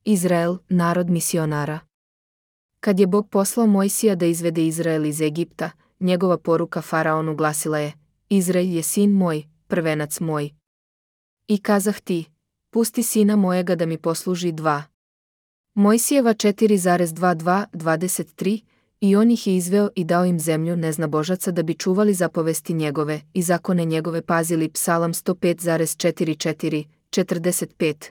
Izrael, narod misionara. Kad je Bog poslao Mojsija da izvede Izrael iz Egipta, njegova poruka faraonu glasila je: Izrael je sin moj, prvenac moj. I kazah ti: pusti sina mojega da mi posluži 2. Mojsijeva 4,22-23. I on ih je izveo i dao im zemlju neznabožaca da bi čuvali zapovesti njegove i zakone njegove pazili. Psalam 105,44-45.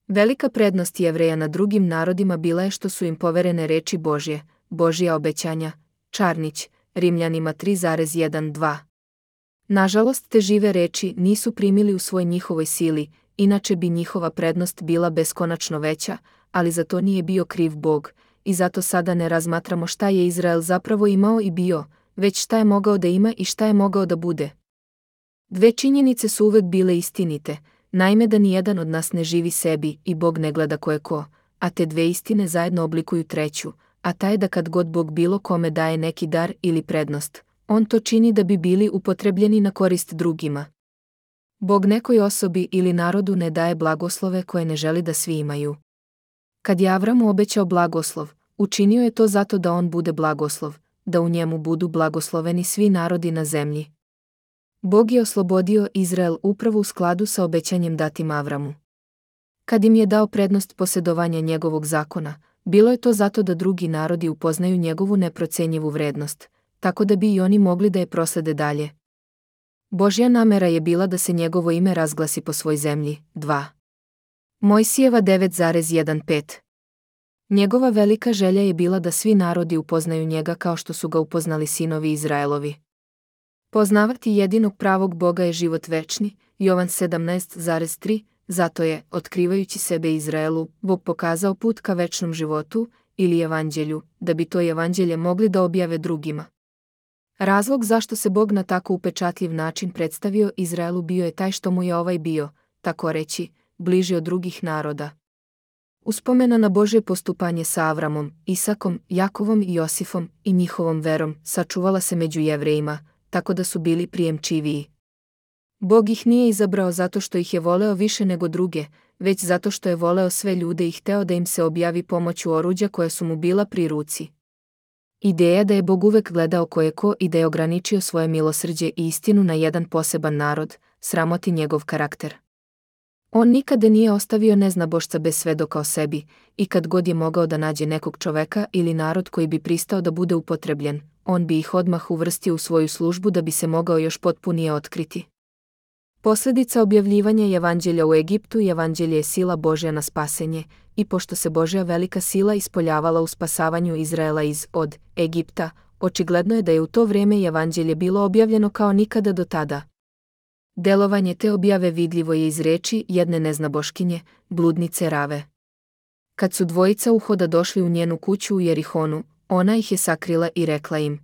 Velika prednost Jevreja nad drugim narodima bila je što su im poverene reči Božje, Božja obećanja. Čarnić, Rimljanima 3,1-2. Nažalost, te žive reči nisu primili u svoj njihovoj sili, inače bi njihova prednost bila beskonačno veća, ali za to nije bio kriv Bog, i zato sada ne razmatramo šta je Izrael zapravo imao i bio, već šta je mogao da ima i šta je mogao da bude. 2 činjenice su uvek bile istinite, naime da nijedan od nas ne živi sebi i Bog ne gleda ko je ko, a te 2 istine zajedno oblikuju 3, a ta je da kad god Bog bilo kome daje neki dar ili prednost, on to čini da bi bili upotrebljeni na korist drugima. Bog nekoj osobi ili narodu ne daje blagoslove koje ne želi da svi imaju. Kad je Avramu obećao blagoslov, učinio je to zato da on bude blagoslov, da u njemu budu blagosloveni svi narodi na zemlji. Bog je oslobodio Izrael upravo u skladu sa obećanjem datim Avramu. Kad im je dao prednost posjedovanja njegovog zakona, bilo je to zato da drugi narodi upoznaju njegovu neprocenjivu vrednost, tako da bi i oni mogli da je proslede dalje. Božja namera je bila da se njegovo ime razglasi po svoj zemlji. 2. Mojsijeva 9,15. Njegova velika želja je bila da svi narodi upoznaju njega kao što su ga upoznali sinovi Izraelovi. Poznavati jedinog pravog Boga je život večni, Jovan 17,3, zato je, otkrivajući sebe Izraelu, Bog pokazao put ka večnom životu, ili evanđelju, da bi to evanđelje mogli da objave drugima. Razlog zašto se Bog na tako upečatljiv način predstavio Izraelu bio je taj što mu je ovaj bio, tako reći, bliži od drugih naroda. Uspomena na Božje postupanje sa Avramom, Isakom, Jakovom i Josifom i njihovom verom sačuvala se među Jevrejima, tako da su bili prijemčiviji. Bog ih nije izabrao zato što ih je voleo više nego druge, već zato što je voleo sve ljude i hteo da im se objavi pomoću oruđa koja su mu bila pri ruci. Ideja da je Bog uvek gledao ko je ko i da je ograničio svoje milosrđe i istinu na jedan poseban narod, sramoti njegov karakter. On nikada nije ostavio neznabošca bez svedoka o sebi, i kad god je mogao da nađe nekog čoveka ili narod koji bi pristao da bude upotrebljen, on bi ih odmah uvrstio u svoju službu da bi se mogao još potpunije otkriti. Posljedica objavljivanja evanđelja u Egiptu i evanđelje je sila Božja na spasenje, i pošto se Božja velika sila ispoljavala u spasavanju Izraela od Egipta, očigledno je da je u to vrijeme evanđelje bilo objavljeno kao nikada do tada. Delovanje te objave vidljivo je iz reči jedne neznaboškinje, bludnice Rave. Kad su dvojica uhoda došli u njenu kuću u Jerihonu, ona ih je sakrila i rekla im.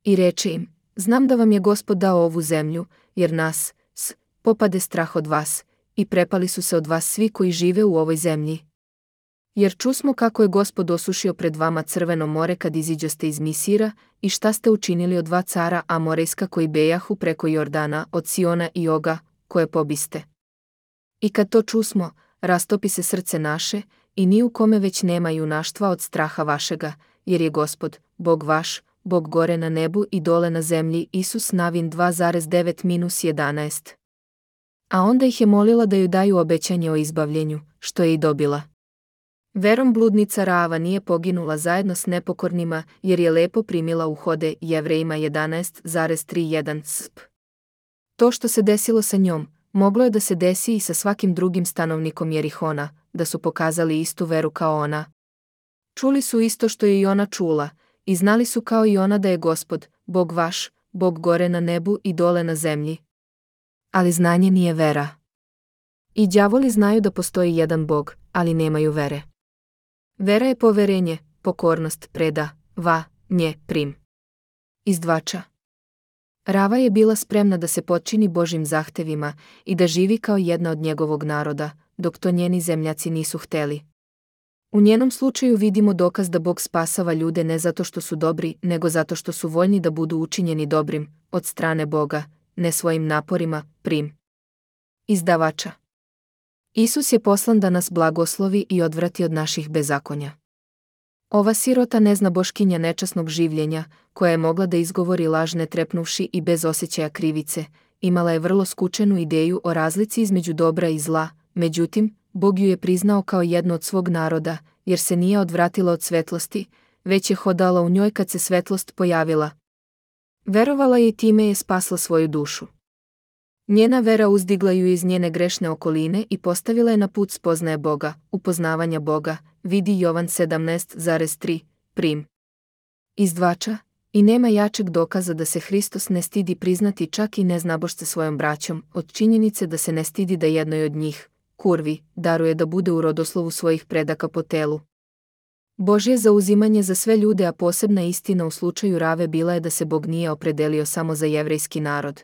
I reče im, znam da vam je Gospod dao ovu zemlju, jer nas, popade strah od vas, i prepali su se od vas svi koji žive u ovoj zemlji. Jer čusmo kako je Gospod osušio pred vama Crveno more kad iziđoste iz Misira, i šta ste učinili od 2 cara Amorejska koji bejahu preko Jordana, od Siona i Oga, koje pobiste. I kad to čusmo, rastopi se srce naše, i ni u kome već nema junaštva od straha vašega, jer je Gospod, Bog vaš, Bog gore na nebu i dole na zemlji. Isus Navin 2,9-11. A onda ih je molila da joj daju obećanje o izbavljenju, što je i dobila. Verom bludnica Rava nije poginula zajedno s nepokornima, jer je lepo primila uhode. Jevrejima 11,31 sp. To što se desilo sa njom, moglo je da se desi i sa svakim drugim stanovnikom Jerihona, da su pokazali istu veru kao ona. Čuli su isto što je i ona čula, i znali su kao i ona da je Gospod, Bog vaš, Bog gore na nebu i dole na zemlji. Ali znanje nije vera. I đavoli znaju da postoji jedan Bog, ali nemaju vere. Vera je poverenje, pokornost, preda, nje, prim. Izdvača. Rava je bila spremna da se potčini Božjim zahtevima i da živi kao jedna od njegovog naroda, dok to njeni zemljaci nisu hteli. U njenom slučaju vidimo dokaz da Bog spasava ljude ne zato što su dobri, nego zato što su voljni da budu učinjeni dobrim, od strane Boga, ne svojim naporima, prim. Izdavača. Isus je poslan da nas blagoslovi i odvrati od naših bezakonja. Ova sirota nezna boškinja nečasnog življenja, koja je mogla da izgovori laž ne trepnuvši i bez osjećaja krivice, imala je vrlo skučenu ideju o razlici između dobra i zla, međutim, Bog ju je priznao kao jednu od svog naroda, jer se nije odvratila od svetlosti, već je hodala u njoj kad se svetlost pojavila. Verovala je i time je spasla svoju dušu. Njena vera uzdigla ju iz njene grešne okoline i postavila je na put spoznaje Boga, upoznavanja Boga, vidi Jovan 17,3, prim. Izdvača, i nema jačeg dokaza da se Hristos ne stidi priznati čak i neznabošce svojom braćom, od činjenice da se ne stidi da jednoj od njih, kurvi, daruje da bude u rodoslovu svojih predaka po telu. Božje zauzimanje za sve ljude, a posebna istina u slučaju Rave bila je da se Bog nije opredelio samo za jevrejski narod.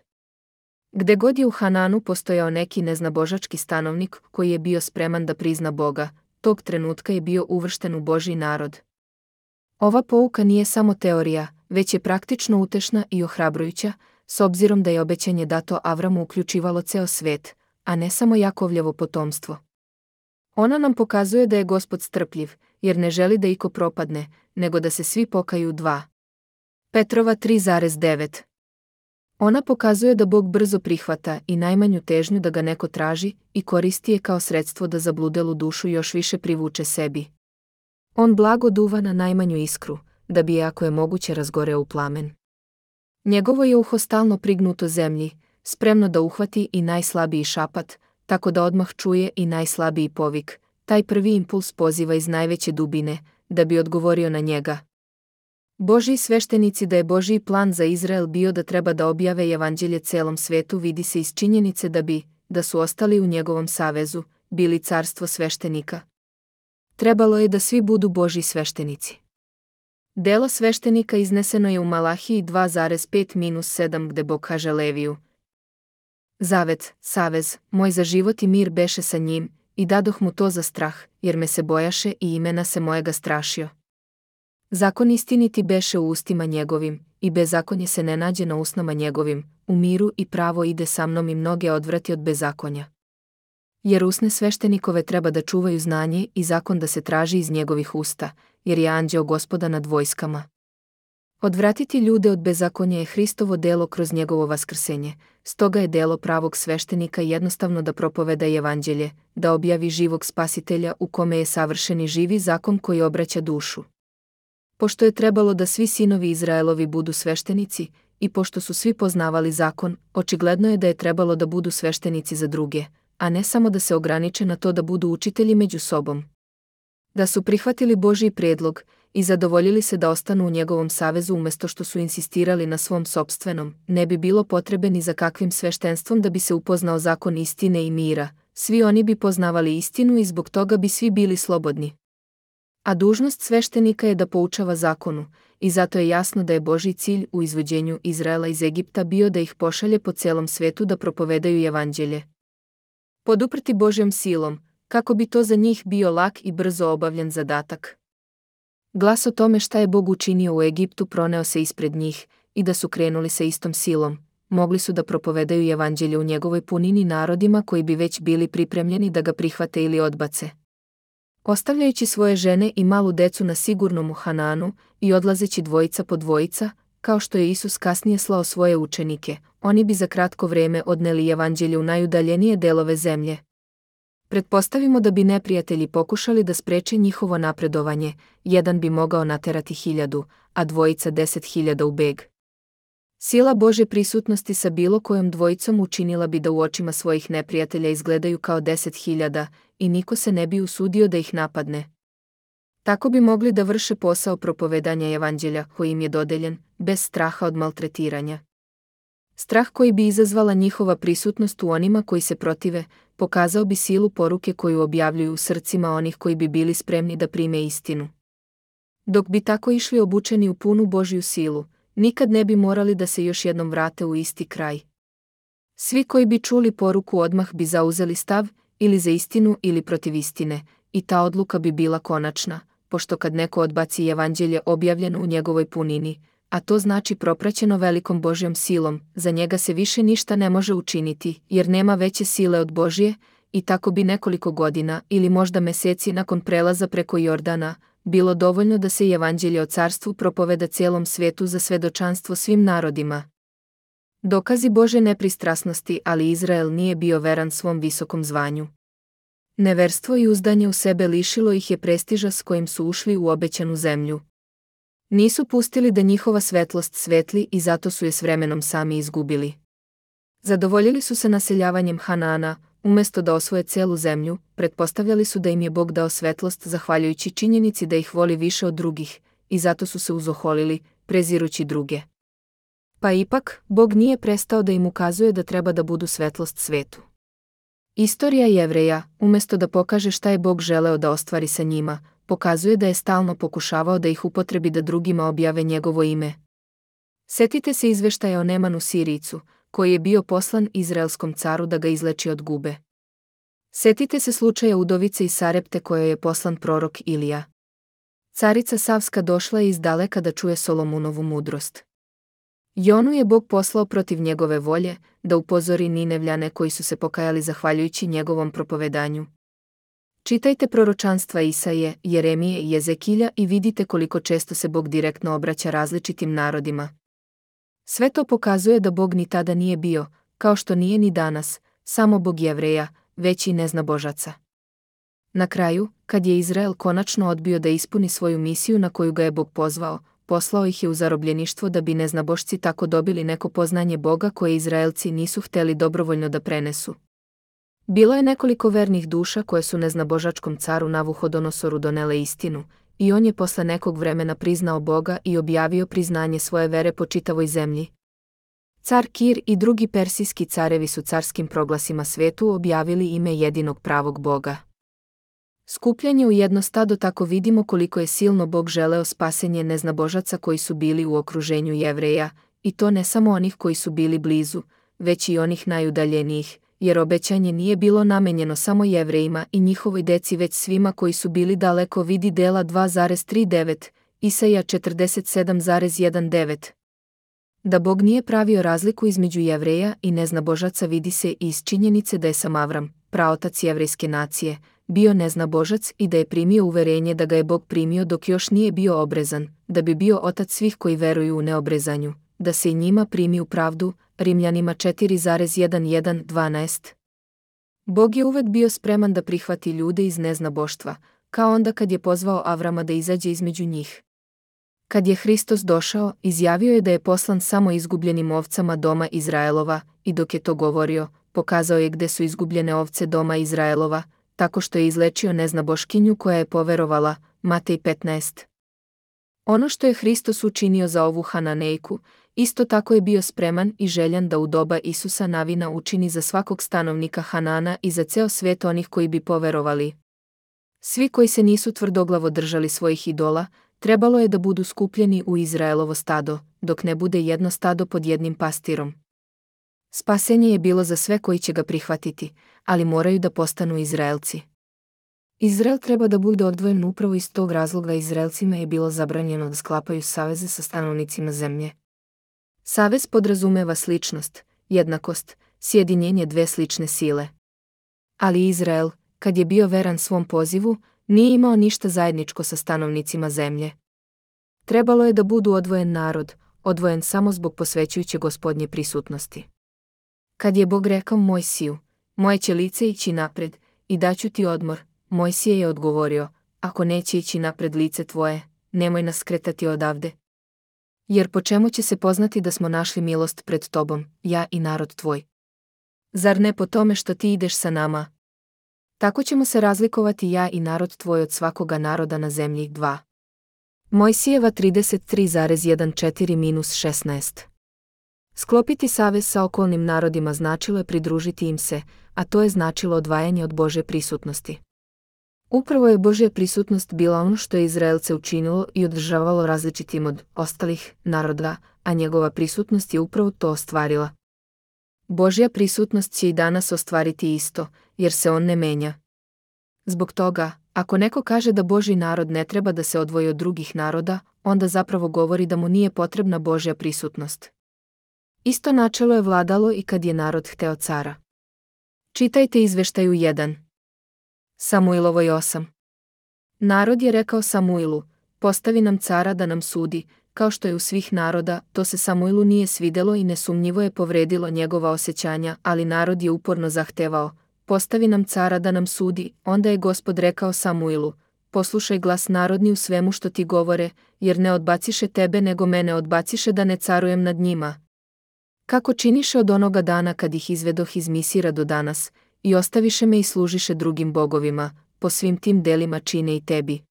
Gde god je u Hananu postojao neki neznabožački stanovnik koji je bio spreman da prizna Boga, tog trenutka je bio uvršten u Božji narod. Ova pouka nije samo teorija, već je praktično utešna i ohrabrujuća, s obzirom da je obećanje dato Avramu uključivalo ceo svet, a ne samo Jakovljevo potomstvo. Ona nam pokazuje da je Gospod strpljiv, jer ne želi da iko propadne, nego da se svi pokaju. 2. Petrova 3,9. Ona pokazuje da Bog brzo prihvata i najmanju težnju da ga neko traži i koristi je kao sredstvo da zabludelu dušu još više privuče sebi. On blago duva na najmanju iskru, da bi je ako je moguće razgoreo u plamen. Njegovo je uho stalno prignuto zemlji, spremno da uhvati i najslabiji šapat, tako da odmah čuje i najslabiji povik. Taj prvi impuls poziva iz najveće dubine, da bi odgovorio na njega. Božji sveštenici da je Božji plan za Izrael bio da treba da objave evanđelje celom svetu vidi se iz činjenice da su ostali u njegovom savezu, bili carstvo sveštenika. Trebalo je da svi budu Božji sveštenici. Delo sveštenika izneseno je u Malahiji 2,5-7 gde Bog kaže Leviju: Zavet, savez, moj za život i mir beše sa njim, i dadoh mu to za strah, jer me se bojaše i imena se mojega strašio. Zakon istiniti beše u ustima njegovim, i bezakonje se ne nađe na usnama njegovim, u miru i pravo ide sa mnom i mnoge odvrati od bezakonja. Jer usne sveštenikove treba da čuvaju znanje i zakon da se traži iz njegovih usta, jer je anđeo Gospoda nad vojskama. Odvratiti ljude od bezakonja je Hristovo delo kroz njegovo vaskrsenje, stoga je delo pravog sveštenika jednostavno da propoveda evanđelje, da objavi živog spasitelja u kome je savršeni živi zakon koji obraća dušu. Pošto je trebalo da svi sinovi Izraelovi budu sveštenici, i pošto su svi poznavali zakon, očigledno je da je trebalo da budu sveštenici za druge, a ne samo da se ograniče na to da budu učitelji među sobom. Da su prihvatili Božji predlog i zadovoljili se da ostanu u njegovom savezu umesto što su insistirali na svom sopstvenom, ne bi bilo potrebe ni za kakvim sveštenstvom da bi se upoznao zakon istine i mira, svi oni bi poznavali istinu i zbog toga bi svi bili slobodni. A dužnost sveštenika je da poučava zakonu, i zato je jasno da je Božji cilj u izvođenju Izraela iz Egipta bio da ih pošalje po celom svetu da propovedaju evanđelje. Poduprti Božjom silom, kako bi to za njih bio lak i brzo obavljen zadatak. Glas o tome šta je Bog učinio u Egiptu proneo se ispred njih, i da su krenuli sa istom silom, mogli su da propovedaju evanđelje u njegovoj punini narodima koji bi već bili pripremljeni da ga prihvate ili odbace. Ostavljajući svoje žene i malu decu na sigurnom u Hananu i odlazeći dvojica po dvojica, kao što je Isus kasnije slao svoje učenike, oni bi za kratko vreme odneli evanđelje u najudaljenije delove zemlje. Pretpostavimo da bi neprijatelji pokušali da spreče njihovo napredovanje, jedan bi mogao naterati 1000, a dvojica 10.000 u beg. Sila Božje prisutnosti sa bilo kojom dvojicom učinila bi da u očima svojih neprijatelja izgledaju kao 10.000 i niko se ne bi usudio da ih napadne. Tako bi mogli da vrše posao propovedanja evanđelja koji im je dodeljen, bez straha od maltretiranja. Strah koji bi izazvala njihova prisutnost u onima koji se protive, pokazao bi silu poruke koju objavljuju u srcima onih koji bi bili spremni da prime istinu. Dok bi tako išli obučeni u punu Božju silu, nikad ne bi morali da se još jednom vrate u isti kraj. Svi koji bi čuli poruku odmah bi zauzeli stav, ili za istinu ili protiv istine, i ta odluka bi bila konačna, pošto kad neko odbaci evanđelje objavljeno u njegovoj punini, a to znači propraćeno velikom Božjom silom, za njega se više ništa ne može učiniti, jer nema veće sile od Božje, i tako bi nekoliko godina ili možda meseci nakon prelaza preko Jordana bilo dovoljno da se evanđelje o carstvu propoveda cijelom svijetu za svedočanstvo svim narodima. Dokazi Bože nepristrasnosti, ali Izrael nije bio veran svom visokom zvanju. Neverstvo i uzdanje u sebe lišilo ih je prestiža s kojim su ušli u obećanu zemlju. Nisu pustili da njihova svetlost svetli i zato su je s vremenom sami izgubili. Zadovoljili su se naseljavanjem Hanaana, umjesto da osvoje cijelu zemlju, pretpostavljali su da im je Bog dao svetlost zahvaljujući činjenici da ih voli više od drugih, i zato su se uzoholili, prezirući druge. Pa ipak, Bog nije prestao da im ukazuje da treba da budu svetlost svetu. Istorija Jevreja, umjesto da pokaže šta je Bog želeo da ostvari sa njima, pokazuje da je stalno pokušavao da ih upotrebi da drugima objave njegovo ime. Setite se izveštaja o Nemanu Sirijcu, koji je bio poslan izraelskom caru da ga izleči od gube. Setite se slučaja udovice iz Sarepte kojoj je poslan prorok Ilija. Carica Savska došla je izdaleka da čuje Solomonovu mudrost. Jonu je Bog poslao protiv njegove volje, da upozori Ninevljane koji su se pokajali zahvaljujući njegovom propovedanju. Čitajte proročanstva Isaije, Jeremije i Jezekilja i vidite koliko često se Bog direktno obraća različitim narodima. Sve to pokazuje da Bog ni tada nije bio, kao što nije ni danas, samo Bog Jevreja, već i neznabožaca. Na kraju, kad je Izrael konačno odbio da ispuni svoju misiju na koju ga je Bog pozvao, poslao ih je u zarobljeništvo da bi neznabošci tako dobili neko poznanje Boga koje Izraelci nisu htjeli dobrovoljno da prenesu. Bilo je nekoliko vernih duša koje su neznabožačkom caru Navuhodonosoru donele istinu, i on je posle nekog vremena priznao Boga i objavio priznanje svoje vere po čitavoj zemlji. Car Kir i drugi persijski carevi su carskim proglasima svetu objavili ime jedinog pravog Boga. Skupljenje u jedno stado, tako vidimo koliko je silno Bog želeo spasenje neznabožaca koji su bili u okruženju Jevreja, i to ne samo onih koji su bili blizu, već i onih najudaljenijih, jer obećanje nije bilo namenjeno samo Jevrejima i njihovoj deci već svima koji su bili daleko, vidi Dela 2,39, Isaija 47,19. Da Bog nije pravio razliku između Jevreja i neznabožaca vidi se i iz činjenice da je sam Avram, praotac jevrejske nacije, bio neznabožac i da je primio uverenje da ga je Bog primio dok još nije bio obrezan, da bi bio otac svih koji veruju u neobrezanju, da se i njima primi u pravdu, Rimljanima 4,11-12. Bog je uvek bio spreman da prihvati ljude iz neznaboštva, kao onda kad je pozvao Avrama da izađe između njih. Kad je Hristos došao, izjavio je da je poslan samo izgubljenim ovcama doma Izraelova, i dok je to govorio, pokazao je gde su izgubljene ovce doma Izraelova, tako što je izlečio neznaboškinju koja je poverovala, Matej 15. Ono što je Hristos učinio za ovu Hananejku, isto tako je bio spreman i željan da u doba Isusa Navina učini za svakog stanovnika Hanana i za ceo svijet onih koji bi poverovali. Svi koji se nisu tvrdoglavo držali svojih idola, trebalo je da budu skupljeni u Izraelovo stado, dok ne bude jedno stado pod jednim pastirom. Spasenje je bilo za sve koji će ga prihvatiti, ali moraju da postanu Izraelci. Izrael treba da bude odvojen upravo iz tog razloga. Izraelcima je bilo zabranjeno da sklapaju saveze sa stanovnicima zemlje. Savez podrazumeva sličnost, jednakost, sjedinjenje dve slične sile. Ali Izrael, kad je bio veran svom pozivu, nije imao ništa zajedničko sa stanovnicima zemlje. Trebalo je da budu odvojen narod, odvojen samo zbog posvećujuće Gospodnje prisutnosti. Kad je Bog rekao Mojsiju, moje će lice ići napred, i daću ti odmor, Mojsije je odgovorio, ako neće ići napred lice tvoje, nemoj nas skretati odavde. Jer po čemu će se poznati da smo našli milost pred tobom, ja i narod tvoj? Zar ne po tome što ti ideš sa nama? Tako ćemo se razlikovati ja i narod tvoj od svakoga naroda na zemlji. 2. Mojsijeva 33,14-16. Sklopiti savez sa okolnim narodima značilo je pridružiti im se, a to je značilo odvajanje od Božje prisutnosti. Upravo je Božja prisutnost bila ono što je Izraelce učinilo i održavalo različitim od ostalih naroda, a njegova prisutnost je upravo to ostvarila. Božja prisutnost će i danas ostvariti isto, jer se on ne menja. Zbog toga, ako neko kaže da Božji narod ne treba da se odvoji od drugih naroda, onda zapravo govori da mu nije potrebna Božja prisutnost. Isto načelo je vladalo i kad je narod hteo cara. Čitajte izveštaju 1. Samuilovoj 8. Narod je rekao Samuilu, postavi nam cara da nam sudi, kao što je u svih naroda, to se Samuilu nije svidelo i nesumnjivo je povredilo njegova osjećanja, ali narod je uporno zahtevao, postavi nam cara da nam sudi, onda je Gospod rekao Samuilu, poslušaj glas narodni u svemu što ti govore, jer ne odbaciše tebe nego mene odbaciše da ne carujem nad njima. Kako činiše od onoga dana kad ih izvedoh iz Misira do danas, i ostaviše me i služiše drugim bogovima, po svim tim delima čine i tebi.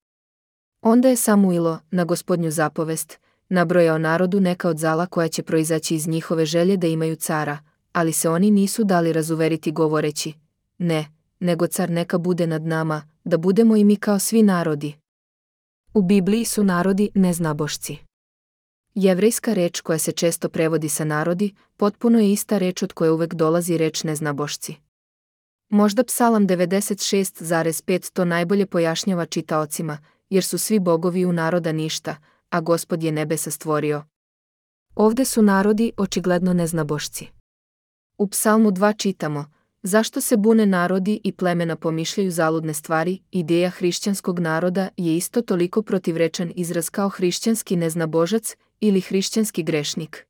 Onda je Samuilo, na Gospodnju zapovest, nabrojao narodu neka od zala koja će proizaći iz njihove želje da imaju cara, ali se oni nisu dali razuveriti govoreći, ne, nego car neka bude nad nama, da budemo i mi kao svi narodi. U Bibliji su narodi neznabošci. Jevrejska reč koja se često prevodi sa narodi, potpuno je ista reč od koje uvek dolazi reč neznabošci. Možda Psalam 96,5 to najbolje pojašnjava čitaocima, jer su svi bogovi u naroda ništa, a Gospod je nebesa stvorio. Ovde su narodi očigledno neznabošci. U Psalmu 2 čitamo, zašto se bune narodi i plemena pomišljaju zaludne stvari, ideja hrišćanskog naroda je isto toliko protivrečan izraz kao hrišćanski neznabožac ili hrišćanski grešnik.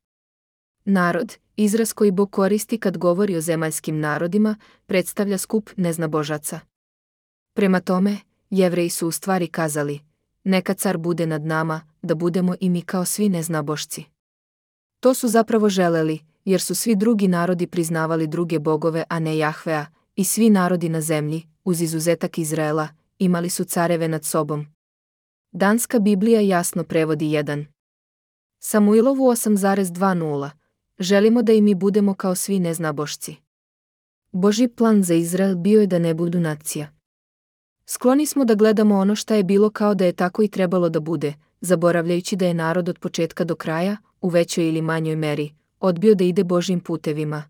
Narod, izraz koji Bog koristi kad govori o zemaljskim narodima, predstavlja skup neznabožaca. Prema tome, Jevreji su u stvari kazali, neka car bude nad nama, da budemo i mi kao svi neznabošci. To su zapravo želeli, jer su svi drugi narodi priznavali druge bogove, a ne Jahvea, i svi narodi na zemlji, uz izuzetak Izraela, imali su careve nad sobom. Danska Biblija jasno prevodi 1. Samuilovu 8,20. Želimo da i mi budemo kao svi neznabošci. Božji plan za Izrael bio je da ne budu nacija. Skloni smo da gledamo ono šta je bilo kao da je tako i trebalo da bude, zaboravljajući da je narod od početka do kraja, u većoj ili manjoj meri, odbio da ide Božjim putevima.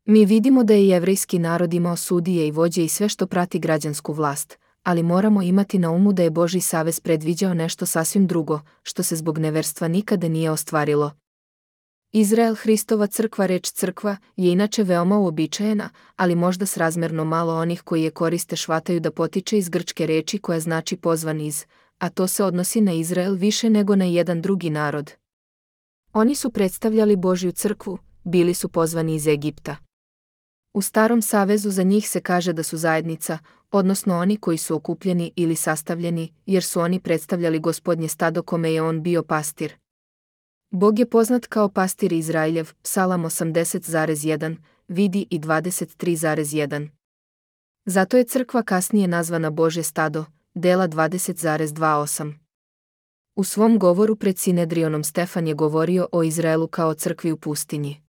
Mi vidimo da je jevrejski narod imao sudije i vođe i sve što prati građansku vlast, ali moramo imati na umu da je Božji savez predviđao nešto sasvim drugo, što se zbog neverstva nikada nije ostvarilo. Izrael Hristova crkva, reč crkva, je inače veoma uobičajena, ali možda srazmerno malo onih koji je koriste shvataju da potiče iz grčke reči koja znači pozvan iz, a to se odnosi na Izrael više nego na jedan drugi narod. Oni su predstavljali Božju crkvu, bili su pozvani iz Egipta. U Starom savezu za njih se kaže da su zajednica, odnosno oni koji su okupljeni ili sastavljeni, jer su oni predstavljali Gospodnje stado kome je on bio pastir. Bog je poznat kao pastir Izraeljev, Psalam 80,1, vidi i 23,1. Zato je crkva kasnije nazvana Božje stado, dela 20,28. U svom govoru pred Sinedrionom Stefan je govorio o Izraelu kao crkvi u pustinji.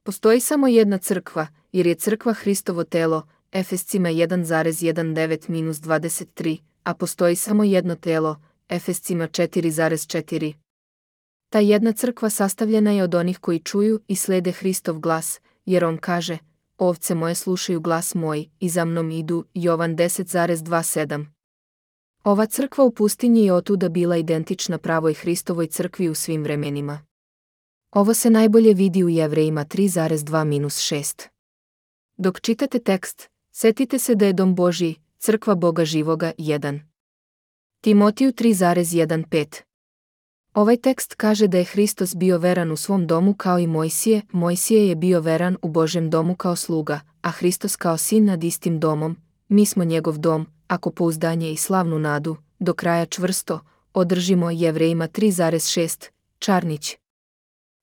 Postoji samo jedna crkva, jer je crkva Hristovo telo, Efescima 1,19-23, a postoji samo jedno telo, Efescima 4,4. Ta jedna crkva sastavljena je od onih koji čuju i slede Hristov glas, jer on kaže, ovce moje slušaju glas moj i za mnom idu, Jovan 10,27. Ova crkva u pustinji je otuda bila identična pravoj Hristovoj crkvi u svim vremenima. Ovo se najbolje vidi u Jevrejima 3,2-6. Dok čitate tekst, setite se da je dom Božji, crkva Boga živoga 1. Timotiju 3,1-5. Ovaj tekst kaže da je Hristos bio veran u svom domu kao i Mojsije, Mojsije je bio veran u Božjem domu kao sluga, a Hristos kao sin nad istim domom, mi smo njegov dom, ako pouzdanje i slavnu nadu, do kraja čvrsto, održimo. Jevrejima 3,6, Čarnić.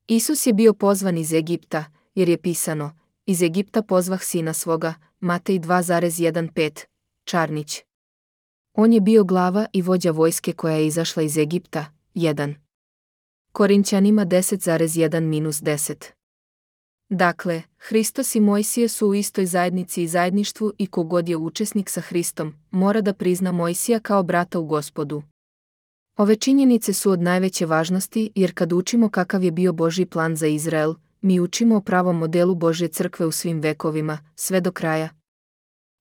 Isus je bio pozvan iz Egipta, jer je pisano, iz Egipta pozvah sina svoga, Matej 2,15, Čarnić. On je bio glava i vođa vojske koja je izašla iz Egipta, 1. Korinćanima 10,1-10. Dakle, Hristos i Mojsije su u istoj zajednici i zajedništvu i kogod je učesnik sa Hristom, mora da prizna Mojsija kao brata u Gospodu. Ove činjenice su od najveće važnosti jer kad učimo kakav je bio Božji plan za Izrael, mi učimo o pravom modelu Božje crkve u svim vekovima, sve do kraja.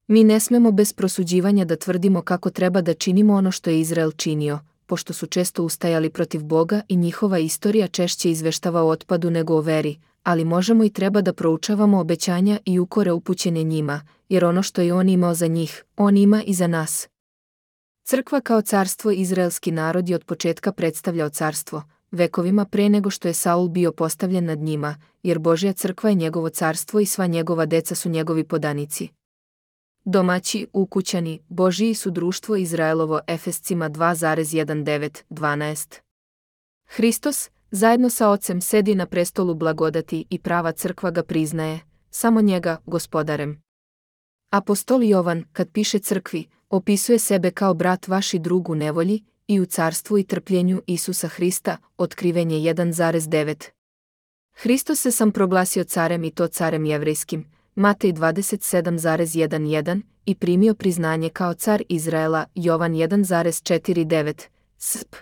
Mi ne smemo bez prosuđivanja da tvrdimo kako treba da činimo ono što je Izrael činio, pošto su često ustajali protiv Boga i njihova istorija češće izveštava o otpadu nego o veri, ali možemo i treba da proučavamo obećanja i ukore upućene njima, jer ono što je on imao za njih, on ima i za nas. Crkva kao carstvo izraelski narod je od početka predstavljao carstvo, vekovima pre nego što je Saul bio postavljen nad njima, jer Božja crkva je njegovo carstvo i sva njegova deca su njegovi podanici. Domaći, ukućani, Božiji su društvo Izraelovo Efescima 2,19-12. Hristos, zajedno sa Ocem sedi na prestolu blagodati i prava crkva ga priznaje, samo njega, gospodarem. Apostol Jovan, kad piše crkvi, opisuje sebe kao brat vaš i drug u nevolji i u carstvu i trpljenju Isusa Hrista, Otkrivenje 1,9. Hristos se sam proglasio carem i to carem jevrejskim, Matej 27,11 i primio priznanje kao car Izraela, Jovan 1,49, sp.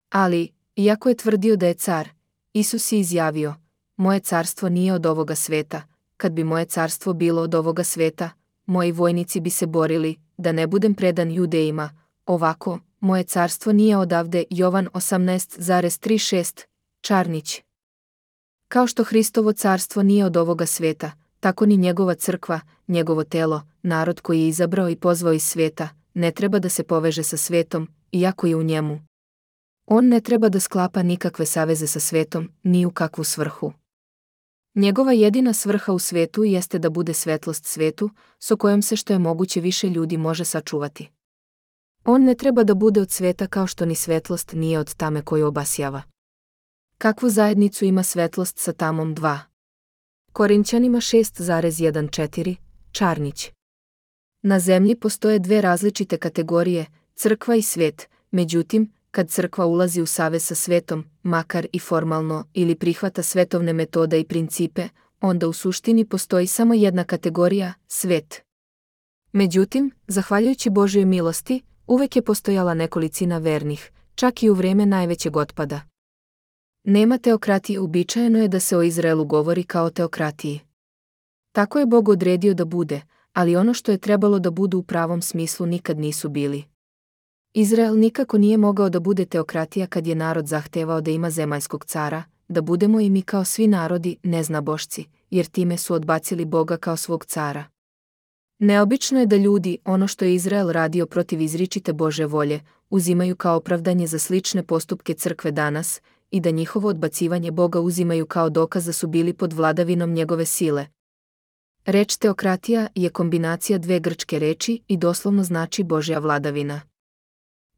Ali, iako je tvrdio da je car, Isus je izjavio, moje carstvo nije od ovoga sveta, kad bi moje carstvo bilo od ovoga sveta, moji vojnici bi se borili, da ne budem predan Judejima, ovako, moje carstvo nije odavde, Jovan 18,36, Čarnić. Kao što Hristovo carstvo nije od ovoga sveta, tako ni njegova crkva, njegovo telo, narod koji je izabrao i pozvao iz sveta, ne treba da se poveže sa svetom, iako je u njemu. On ne treba da sklapa nikakve saveze sa svetom, ni u kakvu svrhu. Njegova jedina svrha u svetu jeste da bude svetlost svetu, s kojom se što je moguće više ljudi može sačuvati. On ne treba da bude od sveta kao što ni svetlost nije od tame koju obasjava. Kakvu zajednicu ima svetlost sa tamom 2? Korinćanima 6,14, Čarnić. Na zemlji postoje dve različite kategorije, crkva i svet, međutim, kad crkva ulazi u savez sa svetom, makar i formalno, ili prihvata svetovne metode i principe, onda u suštini postoji samo jedna kategorija, svet. Međutim, zahvaljujući Božjoj milosti, uvek je postojala nekolicina vernih, čak i u vrijeme najvećeg otpada. Nema teokratije, uobičajeno je da se o Izraelu govori kao o teokratiji. Tako je Bog odredio da bude, ali ono što je trebalo da budu u pravom smislu nikad nisu bili. Izrael nikako nije mogao da bude teokratija kad je narod zahtevao da ima zemaljskog cara, da budemo i mi kao svi narodi neznabošci, jer time su odbacili Boga kao svog cara. Neobično je da ljudi, ono što je Izrael radio protiv izričite Božje volje, uzimaju kao opravdanje za slične postupke crkve danas i da njihovo odbacivanje Boga uzimaju kao dokaz da su bili pod vladavinom njegove sile. Reč teokratija je kombinacija dve grčke reči i doslovno znači Božja vladavina.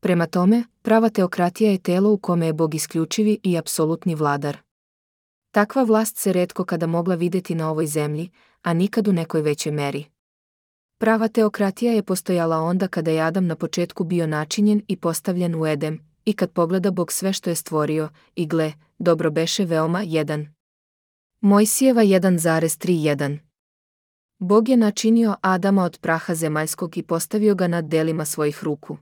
Prema tome, prava teokratija je telo u kome je Bog isključivi i apsolutni vladar. Takva vlast se retko kada mogla vidjeti na ovoj zemlji, a nikad u nekoj većoj meri. Prava teokratija je postojala onda kada je Adam na početku bio načinjen i postavljen u Edem, i kad pogleda Bog sve što je stvorio, i gle, dobro beše veoma 1. Mojsijeva 1,31. Bog je načinio Adama od praha zemaljskog i postavio ga nad delima svojih ruku.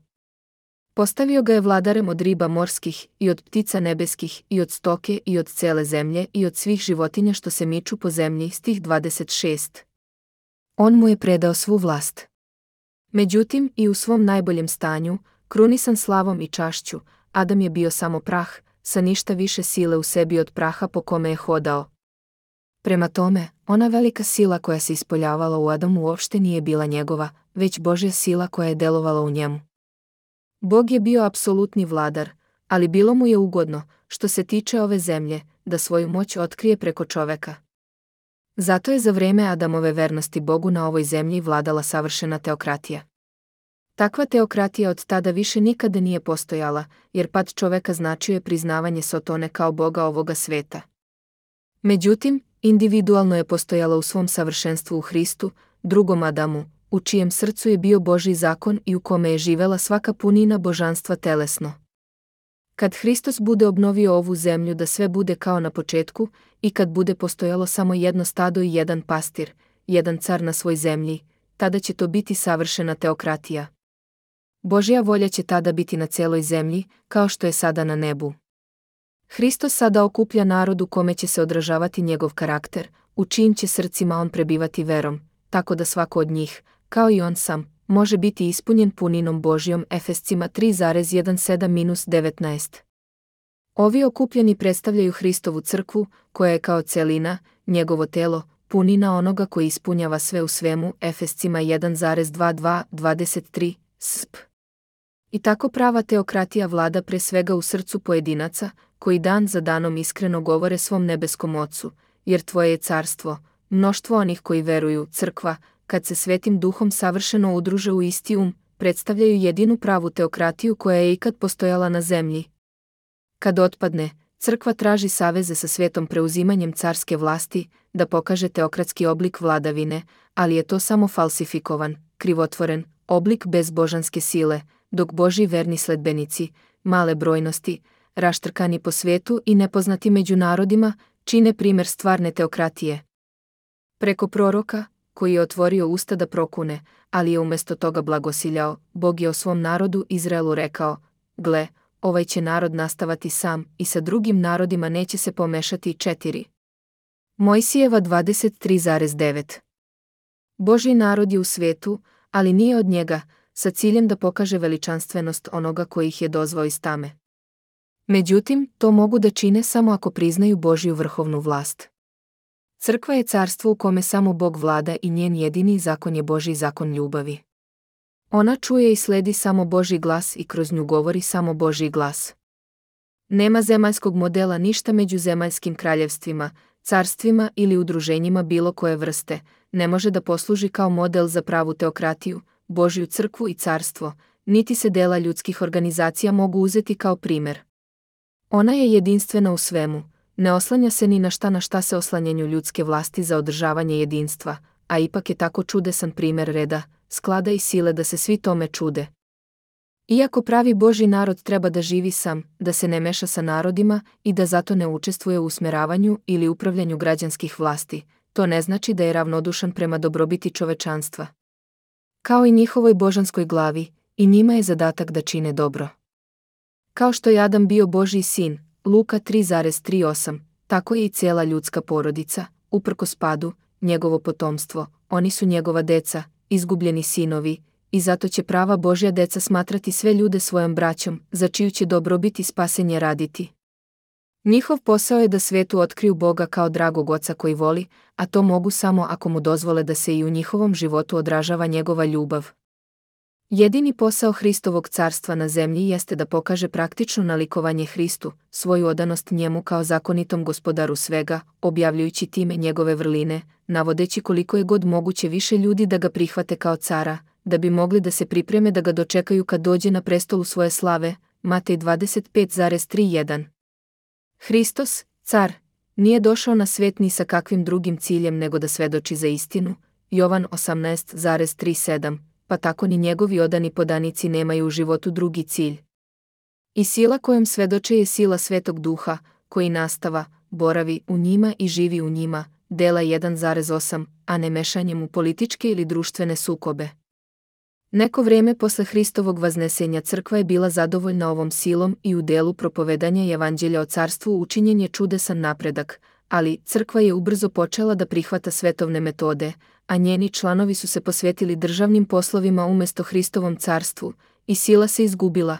Postavio ga je vladarem od riba morskih i od ptica nebeskih i od stoke i od cele zemlje i od svih životinja što se miču po zemlji, stih 26. On mu je predao svu vlast. Međutim, i u svom najboljem stanju, krunisan slavom i čašću, Adam je bio samo prah, sa ništa više sile u sebi od praha po kome je hodao. Prema tome, ona velika sila koja se ispoljavala u Adamu uopšte nije bila njegova, već Božja sila koja je delovala u njemu. Bog je bio apsolutni vladar, ali bilo mu je ugodno, što se tiče ove zemlje, da svoju moć otkrije preko čoveka. Zato je za vrijeme Adamove vernosti Bogu na ovoj zemlji vladala savršena teokratija. Takva teokratija od tada više nikada nije postojala, jer pad čoveka značio je priznavanje Sotone kao Boga ovoga sveta. Međutim, individualno je postojala u svom savršenstvu u Hristu, drugom Adamu, u čijem srcu je bio Božji zakon i u kome je živela svaka punina božanstva telesno. Kad Hristos bude obnovio ovu zemlju da sve bude kao na početku i kad bude postojalo samo jedno stado i jedan pastir, jedan car na svoj zemlji, tada će to biti savršena teokratija. Božja volja će tada biti na celoj zemlji, kao što je sada na nebu. Hristos sada okuplja narod u kome će se odražavati njegov karakter, u čijim će srcima on prebivati verom, tako da svako od njih, kao i on sam, može biti ispunjen puninom Božjom. Efescima 3,17-19. Ovi okupljeni predstavljaju Hristovu crkvu, koja je kao celina, njegovo telo, punina onoga koji ispunjava sve u svemu, Efescima 1,22-23, sp. I tako prava teokratija vlada pre svega u srcu pojedinaca, koji dan za danom iskreno govore svom nebeskom Ocu, jer tvoje je carstvo, mnoštvo onih koji veruju, crkva, kad se Svetim Duhom savršeno udruže u isti predstavljaju jedinu pravu teokratiju koja je ikad postojala na zemlji. Kad otpadne, crkva traži saveze sa svetom preuzimanjem carske vlasti, da pokaže teokratski oblik vladavine, ali je to samo falsifikovan, krivotvoren, oblik bez božanske sile, dok Božji verni sledbenici, male brojnosti, raštrkani po svetu i nepoznati među narodima, čine primer stvarne teokratije. Preko proroka, koji je otvorio usta da prokune, ali je umjesto toga blagosiljao, Bog je o svom narodu Izraelu rekao: gle, ovaj će narod nastavati sam i sa drugim narodima neće se pomešati. 4. Mojsijeva 23,9. Božji narod je u svetu, ali nije od njega, sa ciljem da pokaže veličanstvenost onoga koji ih je dozvao iz tame. Međutim, to mogu da čine samo ako priznaju Božju vrhovnu vlast. Crkva je carstvo u kome samo Bog vlada i njen jedini zakon je Božji zakon ljubavi. Ona čuje i sledi samo Božji glas i kroz nju govori samo Božji glas. Nema zemaljskog modela ništa među zemaljskim kraljevstvima, carstvima ili udruženjima bilo koje vrste, ne može da posluži kao model za pravu teokratiju, Božju crkvu i carstvo, niti se dela ljudskih organizacija mogu uzeti kao primer. Ona je jedinstvena u svemu, ne oslanja se ni na šta se oslanjanju ljudske vlasti za održavanje jedinstva, a ipak je tako čudesan primer reda, sklada i sile da se svi tome čude. Iako pravi Božji narod treba da živi sam, da se ne meša sa narodima i da zato ne učestvuje u usmeravanju ili upravljanju građanskih vlasti, to ne znači da je ravnodušan prema dobrobiti čovečanstva. Kao i njihovoj božanskoj glavi, i njima je zadatak da čine dobro. Kao što je Adam bio Božji sin, Luka 3,38, tako je i cijela ljudska porodica, uprkos padu, njegovo potomstvo, oni su njegova deca, izgubljeni sinovi, i zato će prava Božja deca smatrati sve ljude svojom braćom, za čiju će dobrobit i spasenje raditi. Njihov posao je da svetu otkriju Boga kao dragog oca koji voli, a to mogu samo ako mu dozvole da se i u njihovom životu odražava njegova ljubav. Jedini posao Hristovog carstva na zemlji jeste da pokaže praktično nalikovanje Hristu, svoju odanost njemu kao zakonitom gospodaru svega, objavljujući time njegove vrline, navodeći koliko je god moguće više ljudi da ga prihvate kao cara, da bi mogli da se pripreme da ga dočekaju kad dođe na prestolu svoje slave, Matej 25,31. Hristos, car, nije došao na svet ni sa kakvim drugim ciljem nego da svedoči za istinu, Jovan 18,37, pa tako ni njegovi odani podanici nemaju u životu drugi cilj. I sila kojom svedoče je sila Svetog Duha, koji nastava, boravi u njima i živi u njima, dela 1,8, a ne mešanjem u političke ili društvene sukobe. Neko vreme posle Hristovog vaznesenja crkva je bila zadovoljna ovom silom i u delu propovedanja evanđelja o carstvu učinjen je čudesan napredak, ali crkva je ubrzo počela da prihvata svetovne metode, a njeni članovi su se posvetili državnim poslovima umjesto Hristovom carstvu, i sila se izgubila.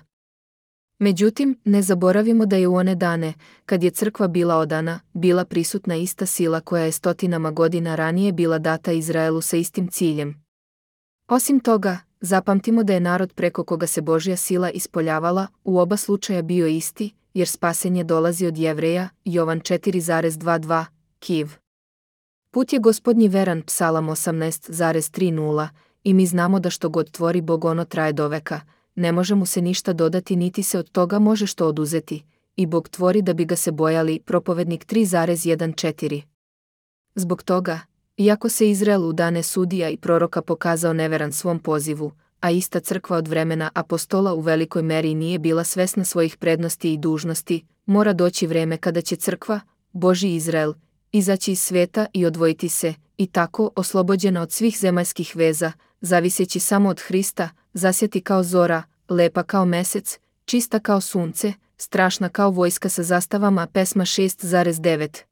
Međutim, ne zaboravimo da je u one dane, kad je crkva bila odana, bila prisutna ista sila koja je stotinama godina ranije bila data Izraelu sa istim ciljem. Osim toga, zapamtimo da je narod preko koga se Božja sila ispoljavala u oba slučaja bio isti, jer spasenje dolazi od Jevreja, Jovan 4,22, Kiv. Put je Gospodnji veran, Psalam 18,30, i mi znamo da što god tvori Bog ono traje do veka, ne može mu se ništa dodati niti se od toga može što oduzeti, i Bog tvori da bi ga se bojali, Propovednik 3,14. Zbog toga, iako se Izrael u dane sudija i proroka pokazao neveran svom pozivu, a ista crkva od vremena apostola u velikoj meri nije bila svesna svojih prednosti i dužnosti, mora doći vreme kada će crkva, Božji Izrael, izaći iz sveta i odvojiti se, i tako, oslobođena od svih zemaljskih veza, zaviseći samo od Hrista, zasjati kao zora, lepa kao mesec, čista kao sunce, strašna kao vojska sa zastavama, Pesma 6,9.